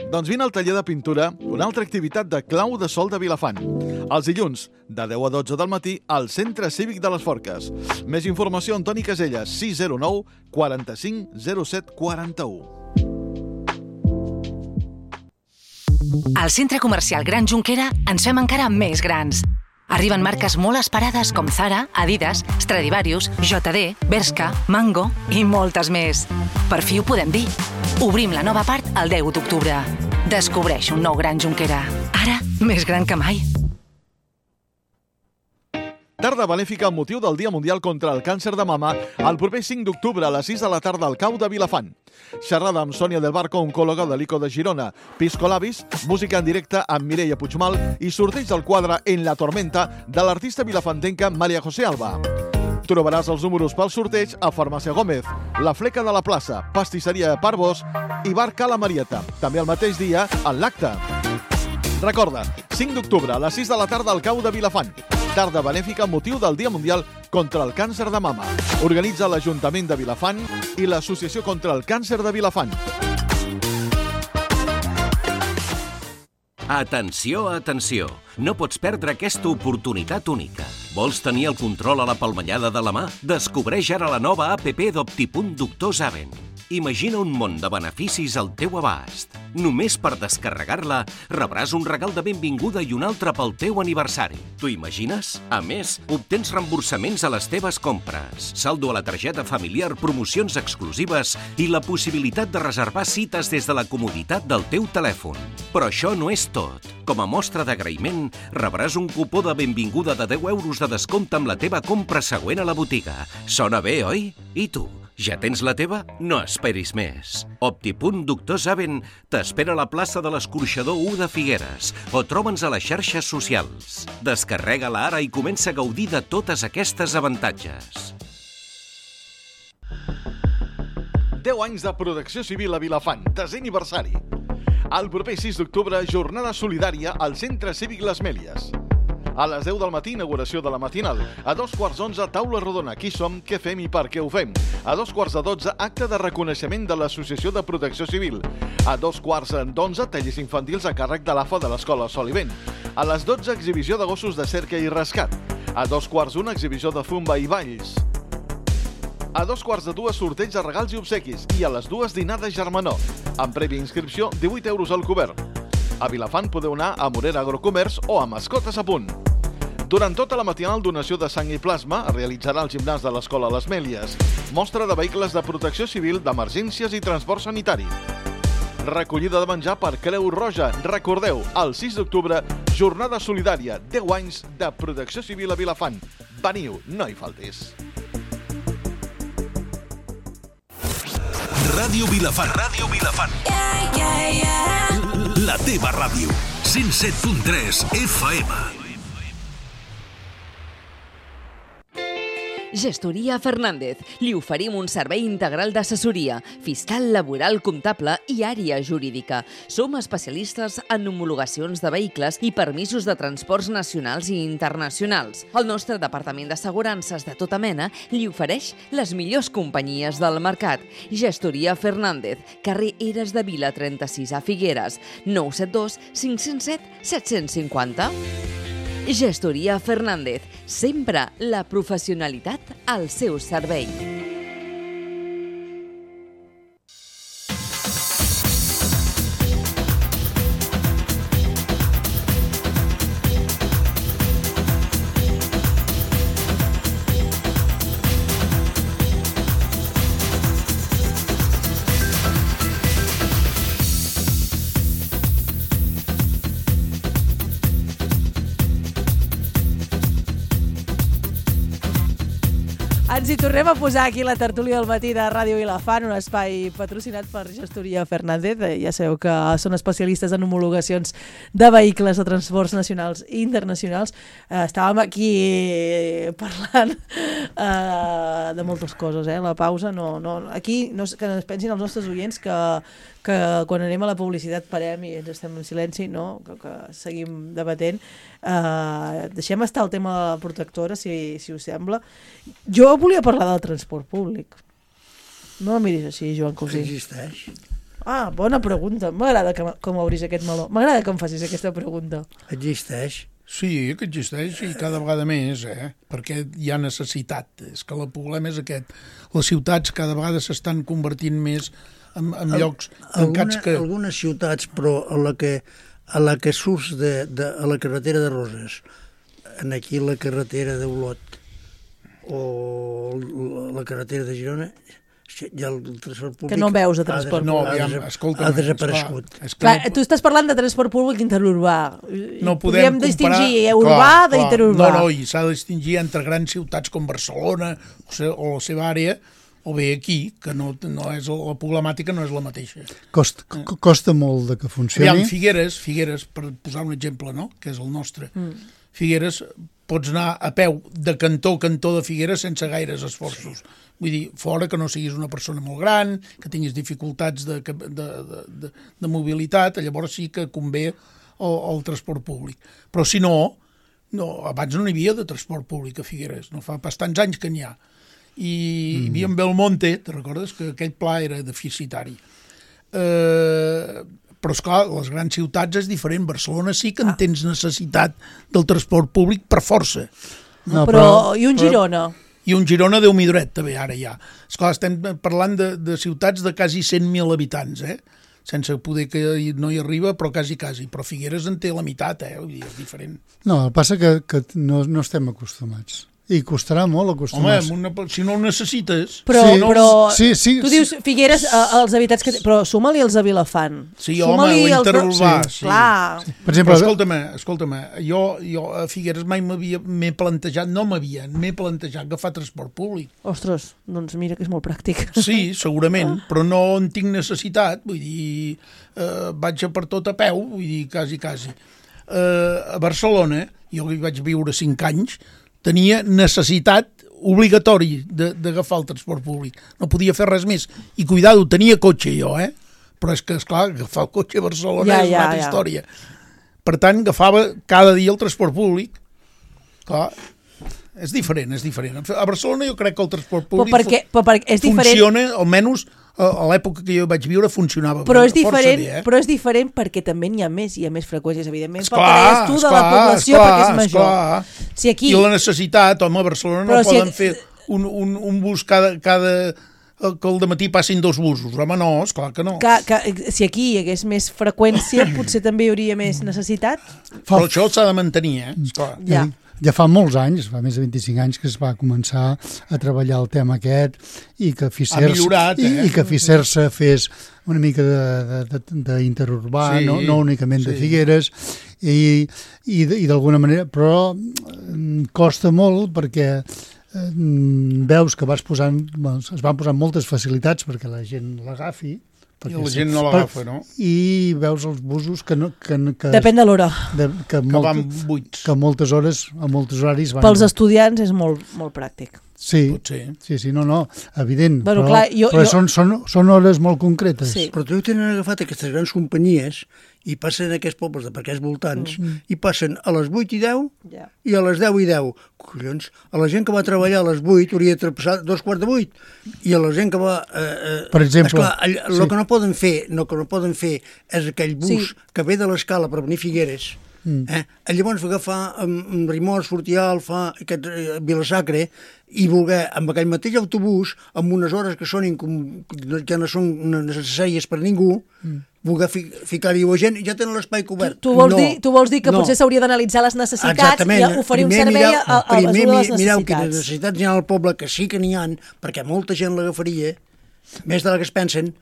Doncs vine al taller de pintura, una altra activitat de Clau de Sol de Vilafant. Els dilluns, de 10 a 12 del matí, al Centre Cívic de les Forques. Més informació, Antoni Caselles, 609 45 07 41. Al Centre Comercial Gran Jonquera ens fem encara més grans. Arriben marques molt esperades com Zara, Adidas, Stradivarius, JD, Bershka, Mango i moltes més. Per fi ho podem dir. Obrim la nova part el 10 d'octubre. Descobreix un nou Gran Jonquera. Ara, més gran que mai. Tarda benèfica amb motiu del Dia Mundial contra el Càncer de Mama el proper 5 d'octubre a les 6 de la tarda al Cau de Vilafant. Xerrada amb Sònia del Barco, oncòloga de l'ICO de Girona, Pisco Labis, música en directe amb Mireia Puigmal i sorteig del quadre En la tormenta de l'artista vilafantenca Maria José Alba. Trobaràs els números pel sorteig a Farmàcia Gómez, La Fleca de la Plaça, Pastisseria Parvos i Bar Cala Marieta. També el mateix dia en l'acte. Recorda, 5 d'octubre a les 6 de la tarda al Cau de Vilafant. Tarda benèfica amb motiu del Dia Mundial contra el Càncer de Mama. Organitza l'Ajuntament de Vilafant i l'Associació contra el Càncer de Vilafant. Atenció, atenció! No pots perdre aquesta oportunitat única. Vols tenir el control a la palmellada de la mà? Descobreix ara la nova app d'Optipunt Doctor Zaven. Imagina un món de beneficis al teu abast. Només per descarregar-la rebràs un regal de benvinguda i un altre pel teu aniversari. T'ho imagines? A més, obtens reemborsaments a les teves compres, saldo a la targeta familiar, promocions exclusives i la possibilitat de reservar cites des de la comoditat del teu telèfon. Però això no és tot. Com a mostra d'agraïment, rebràs un cupó de benvinguda de 10 euros de descompte amb la teva compra següent a la botiga. Sona bé, oi? I tu? Ja tens la teva? No esperis més. Optipunt Doctor Zaven t'espera a la plaça de l'Escorxador 1 de Figueres o troba'ns a les xarxes socials. Descarrega-la ara i comença a gaudir de totes aquestes avantatges. 10 anys de protecció civil a Vilafant, 10è aniversari. El proper 6 d'octubre, jornada solidària al Centre Cívic Les Mèlies. A les 10 del matí, inauguració de la matinal. A 11:15, taula rodona. Qui som, què fem i per què ho fem. A 11:45, acte de reconeixement de l'Associació de Protecció Civil. A 11:45, tallers infantils a càrrec de l'AFA de l'Escola Sol i Vent. A les 12, exhibició de gossos de cerca i rescat. A 2:15, exhibició de zumba i balls. A 2:45, sorteig de regals i obsequis. I a les 2, dinar de germanor. Amb prèvia inscripció, 18 euros al cobert. A Vilafant podeu anar a Morera Agrocomerç o a Mascotes a Punt. Durant tota la matinal, donació de sang i plasma es realitzarà al gimnàs de l'Escola Les Mèlies. Mostra de vehicles de protecció civil, d'emergències i transport sanitari. Recollida de menjar per Creu Roja. Recordeu, el 6 d'octubre, jornada solidària, 10 anys de protecció civil a Vilafant. Veniu, no hi faltis. Ràdio Vilafant. Ràdio Vilafant. La teva ràdio. 107.3 FM. Gestoria Fernández. Li oferim un servei integral d'assessoria, fiscal, laboral, comptable i àrea jurídica. Som especialistes en homologacions de vehicles i permisos de transports nacionals i internacionals. El nostre departament d'assegurances de tota mena li ofereix les millors companyies del mercat. Gestoria Fernández, carrer Eres de Vila 36 a Figueres, 972 507 750. Gestoria Fernández, sempre la professionalitat al seu servei. Ens hi tornem a posar aquí la tertúlia del matí de Ràdio Vilafant, un espai patrocinat per Gestoria Fernández. Ja sabeu que són especialistes en homologacions de vehicles de transports nacionals i internacionals. Estàvem aquí parlant de moltes coses, la pausa. Aquí que es pensin els nostres oients que quan anem a la publicitat parem i ens estem en silenci, que seguim debatent. Deixem estar el tema de la protectora, si us sembla. Jo volia parlar del transport públic. No em miris així, Joan Cosí. Existeix. Bona pregunta. M'agrada que m'obris aquest meló. M'agrada que em facis aquesta pregunta. Existeix. Sí, que existeix i cada vegada més, perquè hi ha necessitat. És que el problema és aquest. Les ciutats cada vegada s'estan convertint més en llocs tancats que... Algunes ciutats, però a la que surts a la carretera de Roses, aquí la carretera d'Olot o la carretera de Girona, ja el transport públic... Que no veus de transport públic. Ha desaparegut. Clar, tu estàs parlant de transport públic interurbà. No podem distingir urbà d'interurbà. No, i s'ha de distingir entre grans ciutats com Barcelona o la seva àrea, o bé aquí, que no és la problemàtica no és la mateixa. Costa molt que funcioni. Figueres, per posar un exemple, que és el nostre. Figueres, pots anar a peu de cantó a cantó de Figueres sense gaires esforços. Vull dir, fora que no siguis una persona molt gran, que tinguis dificultats de mobilitat, llavors sí que convé el transport públic. Però si no, abans no hi havia de transport públic a Figueres, no fa bastants anys que n'hi ha. I hi havia en Belmonte, te recordes que aquell pla era deficitari. Però, esclar, les grans ciutats és diferent. Barcelona sí que en tens necessitat del transport públic per força. I un Girona? I un Girona, Déu m'hi duret, també, ara ja. Esclar, estem parlant de ciutats de quasi 100.000 habitants, sense poder que no hi arriba, però quasi. Però Figueres en té la meitat, vull dir, és diferent. No, el passa que no estem acostumats. I costarà molt acostumar-se. Home, si no ho necessites... Però sí. Tu dius Figueres, els habitants que... Però suma-li els a Vilafant. Sí, home, l'interurbà. Sí. Clar. Per exemple, escolta'm, jo a Figueres mai m'he plantejat agafar transport públic. Ostres, doncs mira que és molt pràctic. Sí, segurament, però no en tinc necessitat. Vull dir, vaig per tot a peu, vull dir, quasi. A Barcelona, jo hi vaig viure 5 anys, tenia necessitat obligatori d'agafar el transport públic. No podia fer res més. I cuidado, tenia cotxe jo, però és que, esclar, agafar el cotxe a Barcelona és una altra història. Per tant, agafava cada dia el transport públic. Clar, és diferent. A Barcelona jo crec que el transport públic funciona, almenys a l'època que jo vaig viure funcionava però és diferent perquè també n'hi ha més freqüències, evidentment, pel que deies tu de la població, perquè és major. I la necessitat, home, a Barcelona no poden fer un bus cada que al dematí passin 2 busos. Home, no, esclar que no. Si aquí hi hagués més freqüència, potser també hi hauria més necessitat. Però això s'ha de mantenir, esclar. Ja. ja fa molts anys, fa més de 25 anys que es va començar a treballar el tema aquest i que Fisersa fes una mica d'interurbà, sí. no únicament de Figueres, i d'alguna manera, però costa molt perquè veus que es van posant moltes facilitats perquè la gent l'agafi, i la gent no l'agafa, no? I veus els busos que depèn de l'hora. Que van buits. Que a moltes hores, a molts horaris van... Pels estudiants és molt pràctic. Sí, no, evident, bueno, però són hores molt concretes. Sí. Però també tenen agafat aquestes grans companyies i passen a aquests pobles de per aquests voltants i passen a les 8 i 10 i a les 10 i 10. Collons, a la gent que va treballar a les 8 hauria de passar 2:15 i a la gent que va... per exemple... Esclar, el que no poden fer és aquell bus que ve de l'Escala per venir a Figueres. Llavors va agafar Rimors, Fortià, Vilasacre i voler amb aquell mateix autobús amb unes hores que no són necessàries per ningú voler ficar-hi a gent i ja tenen l'espai cobert. Tu vols dir que potser s'hauria d'analitzar les necessitats i oferir un servei a les necessitats. Mireu quines necessitats hi ha al poble, que sí que n'hi ha, perquè molta gent l'agafaria, més de la que es pensen,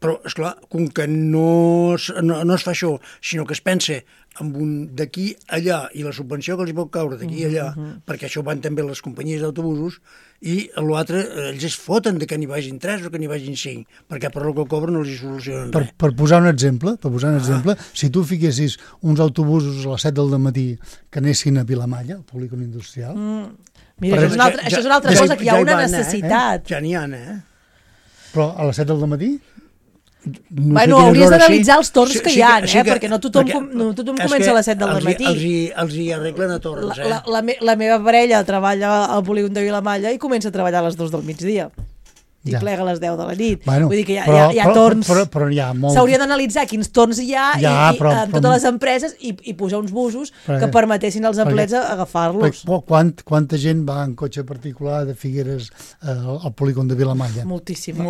però, esclar, com que no es fa això, sinó que es pensa amb un d'aquí allà i la subvenció que els pot caure d'aquí allà, perquè això van també les companyies d'autobusos, i l'altre ells es foten de que n'hi vagin 3 o que n'hi vagin 5, perquè per el que cobren no els hi solucionen res. Per posar un exemple, si tu fiquessis uns autobusos a les 7 del matí que anessin a Vilamalla, al polígon industrial... Mira, això és una altra cosa, que hi ha una necessitat. Ja n'hi ha, Però a les 7 del matí... Bueno, hauries d'analitzar els torns que hi ha, perquè no tothom comença a les 7 del matí. Els hi arreglen a torns, La meva parella treballa al polígon de Vilamalla i comença a treballar a les 2 del migdia. I plega a les 10 de la nit. Bueno, vull dir que hi ha torns... Però hi ha molt... S'hauria d'analitzar quins torns hi ha en totes les empreses i posar uns busos que permetessin als empleats agafar-los. Quanta gent va en cotxe particular de Figueres al polígon de Vilamalla? Moltíssima.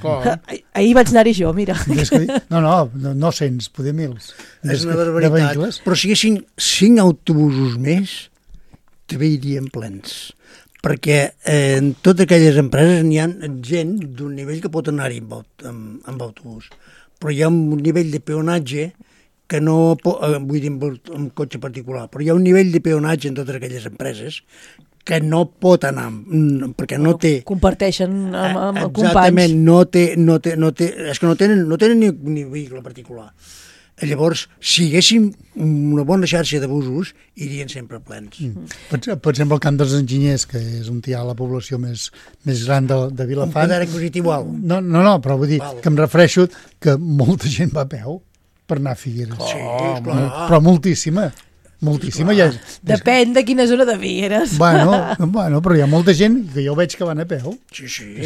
Clar. Ahir vaig anar-hi jo, mira. No cents, poder mils. És una barbaritat. Però si haguessin 5 autobusos més, també irien plens. Perquè en totes aquelles empreses n'hi ha gent d'un nivell que pot anar-hi amb autobús. Però hi ha un nivell de peonatge que no... vull dir, amb cotxe particular, però hi ha un nivell de peonatge en totes aquelles empreses que no pot anar, perquè no té... Comparteixen amb companys. Exactament, és que no tenen ni vehicle particular. Llavors, si haguéssim una bona xarxa de busos, irien sempre plens. Per exemple, el Camp dels Enginyers, que és on hi ha la població més gran de Vilafant... Un poder adquisitiu alt. No, però vull dir que em refereixo que molta gent va a peu per anar a Figueres. Sí, esclar. Però moltíssima. Ja depèn de quina zona de Figueres. Bueno, però hi ha molta gent que jo veig que van a peu. Sí.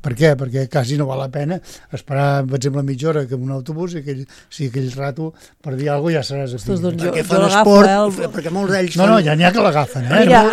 Per què? Perquè quasi no val la pena esperar, per exemple, mitja hora que un autobús i aquell rato per dir alguna cosa ja seràs a Figueres. Perquè fan esport, perquè molts d'ells fan... No, ja n'hi ha que l'agafen, Mira,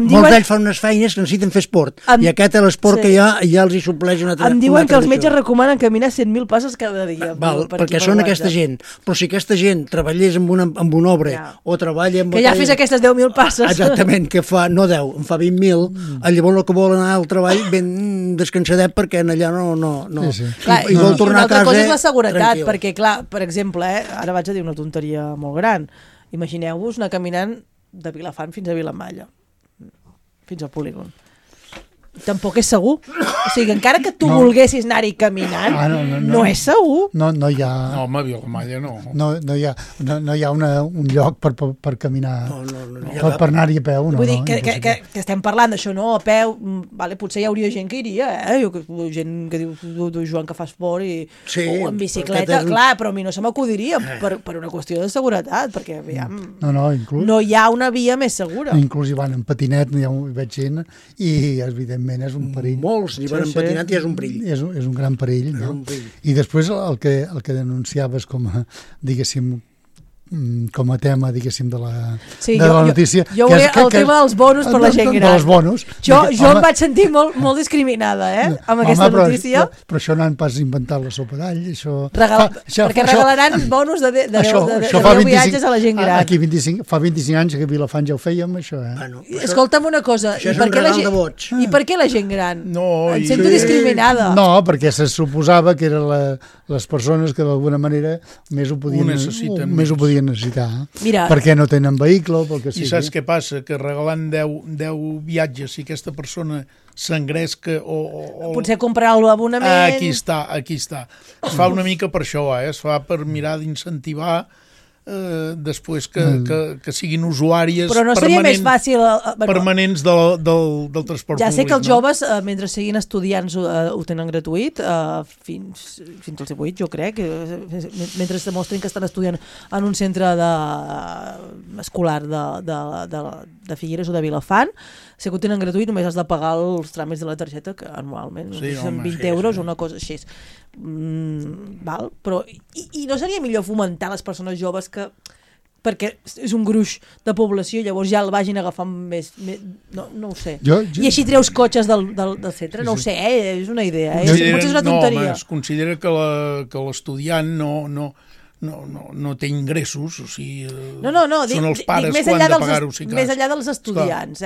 molts d'ells fan unes feines que necessiten fer esport, i aquest l'esport que hi ha ja els hi supleix una altra... Em diuen que els metges recomanen caminar 100.000 passes cada dia. Perquè són aquesta gent. Però si aquesta gent treballés amb una obra o treballa que ja fes aquestes 10.000 passes. Exactament, que fa, no 10, en fa 20.000, llavors el que vol anar al treball ben descansadet perquè en allà no. Clar, i vol tornar a casa. Una altra cosa és la seguretat, perquè clar, per exemple, ara vaig a dir una tonteria molt gran, imagineu-vos anar caminant de Vilafant fins a Vilamalla, fins al polígon. Tampoc és segur. O sigui, encara que tu volguessis anar-hi caminant, no és segur. No hi ha... No, home, Vilamalla no. No hi ha un lloc per caminar, per anar-hi a peu. Vull dir que estem parlant d'això, no? A peu, vale, potser hi hauria gent que iria, gent que diu Joan que fa esport o en bicicleta, clar, però a mi no se m'acudiria per una qüestió de seguretat, perquè aviam, no hi ha una via més segura. Inclús hi van en patinet, hi veig gent, i evidentment és un perill. Molts hi van en patinat i és un perill. És un gran perill, no? I després el que denunciaves com a, diguéssim, com a tema, diguéssim, de la notícia. Jo volia el tema dels bonus per la gent gran. Dels bonus. Jo em vaig sentir molt discriminada, amb aquesta notícia. Però això no han pas inventat la sopa d'all. Perquè regalaran bonus de 10 viatges a la gent gran. Aquí fa 25 anys que a Vilafant ja ho fèiem, això. Escolta'm una cosa. Això és un regal de vots. I per què la gent gran? Em sento discriminada. No, perquè se suposava que eren les persones que d'alguna manera més ho podien necessitar. Mira, perquè no tenen vehicle o pel que sigui. I saps què passa? Que regalant 10 viatges, si aquesta persona s'engresca o... Potser comprar l'abonament... Aquí està. Es fa una mica per això, es fa per mirar d'incentivar després que siguin usuàries però no seria més fàcil permanents del transport públic. Ja sé que els joves, mentre siguin estudiants, ho tenen gratuït fins als 18, jo crec, mentre es demostrin que estan estudiant en un centre escolar de Figueres o de Vilafant. Sé que ho tenen gratuït, només has de pagar els tràmits de la targeta, que anualment són 20 euros o una cosa així. Val? Però i no seria millor fomentar les persones joves perquè és un gruix de població, llavors ja el vagin agafant més no ho sé. I així treus cotxes del centre, no ho sé, és una idea, potser és una tonteria. Es considera que l'estudiant no té ingressos, o sigui, són els pares que han de pagar-ho. Més enllà dels estudiants,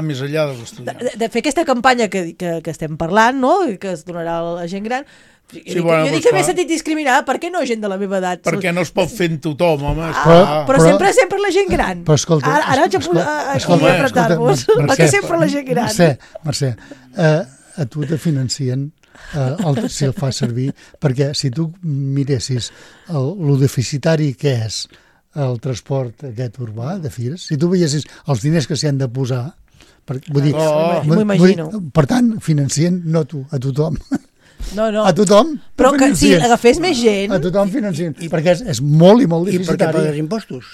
més enllà dels estudiants. De fer aquesta campanya que estem parlant, no?, que es donarà a la gent gran. Jo dic que m'he sentit discriminada, per què no gent de la meva edat? Perquè no es pot fer en tothom, home. Però sempre la gent gran. Ara haig de apretar-vos, perquè sempre la gent gran. Mercè, a tu te financien si el fas servir, perquè si tu miressis lo deficitari que és el transport aquest urbà de Fires, si tu veiessis els diners que s'hi han de posar, m'ho imagino. Per tant, financien no tu, a tothom. No. A tothom. Però que si agafés més gent... A tothom financien, perquè és molt i molt deficitari. I per què pagues impostos?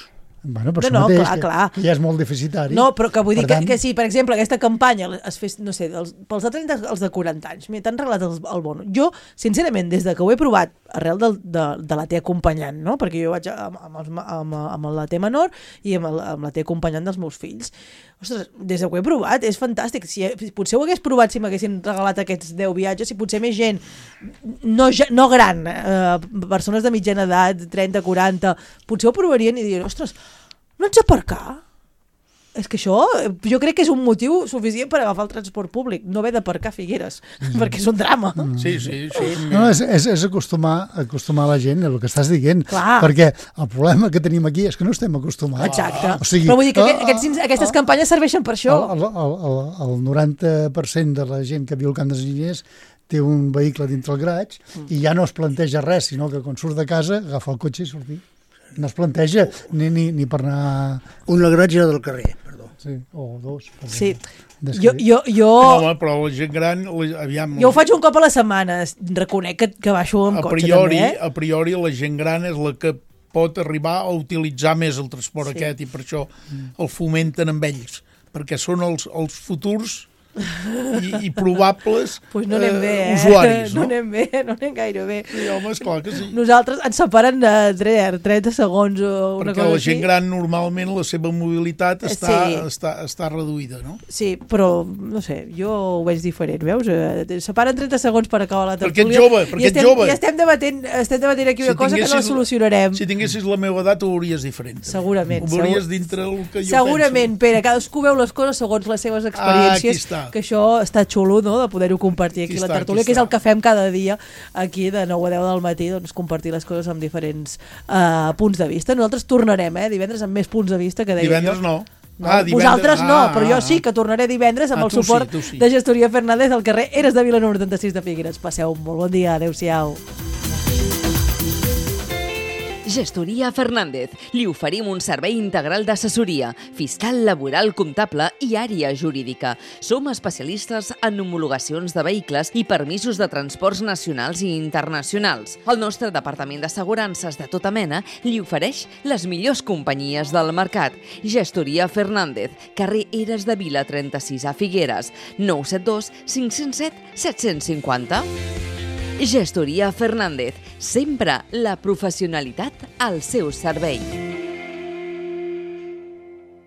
Bueno, per això mateix, clar. Que ja és molt deficitari. No, però que vull dir que si, per exemple, aquesta campanya es fes, no sé, pels de 30, els de 40 anys, t'han regalat el bono. Jo, sincerament, des que ho he provat, arrel de la T acompanyant, no? Perquè jo vaig amb la T menor i amb la T acompanyant dels meus fills. Ostres, des que ho he provat, és fantàstic. Potser ho hagués provat si m'haguessin regalat aquests 10 viatges, si potser més gent, no gran, persones de mitjana edat, 30, 40, potser ho provarien i dirien, ostres, no ets aparcar? És que això, jo crec que és un motiu suficient per agafar el transport públic, no haver d'aparcar a Figueres, perquè és un drama. Sí. No, és acostumar la gent a el que estàs dient, clar. Perquè el problema que tenim aquí és que no estem acostumats. Exacte. Però vull dir que aquestes campanyes serveixen per això. El 90% de la gent que viu al Camp dels Enginyers té un vehicle dintre el garatge i ja no es planteja res, sinó que quan surt de casa agafa el cotxe i sortir. No es planteja ni per anar... Un garatge del carrer, perdó. Sí, o dos. Sí. Jo... No, però la gent gran... Aviam... Jo ho faig un cop a la setmana. Reconec que baixo amb cotxe també. A priori la gent gran és la que pot arribar a utilitzar més el transport aquest i per això el fomenten amb ells. Perquè són els futurs i probables usuaris. No anem gaire bé. Sí, home, esclar que sí. Nosaltres ens separen de 30 segons o una cosa així. Perquè la gent gran normalment la seva mobilitat està reduïda, no? Sí, però no sé, jo ho veig diferent, veus? Separen 30 segons per acabar la tertúlia. Perquè ets jove. I estem debatent aquí una cosa que no solucionarem. Si tinguessis la meva edat ho veuries diferent. Segurament. Ho veuries dintre el que jo penso. Segurament, Pere, cadascú veu les coses segons les seves experiències. Que això està xulo, no?, de poder-ho compartir aquí a la tertúlia, que és el que fem cada dia aquí de 9 a 10 del matí, doncs compartir les coses amb diferents punts de vista. Nosaltres tornarem, divendres amb més punts de vista que deia divendres jo. No. Vosaltres no, però jo sí que tornaré divendres amb el suport de Gestoria Fernández al carrer Eres de Vila número 36 de Figueres. Passeu un molt bon dia, adeu-siau. Gestoria Fernández. Li oferim un servei integral d'assessoria, fiscal, laboral, comptable i àrea jurídica. Som especialistes en homologacions de vehicles i permisos de transports nacionals i internacionals. El nostre departament d'assegurances de tota mena li ofereix les millors companyies del mercat. Gestoria Fernández, carrer Eres de Vila 36 a Figueres, 972 507 750. Gestoria Fernández, sempre la professionalitat al seu servei.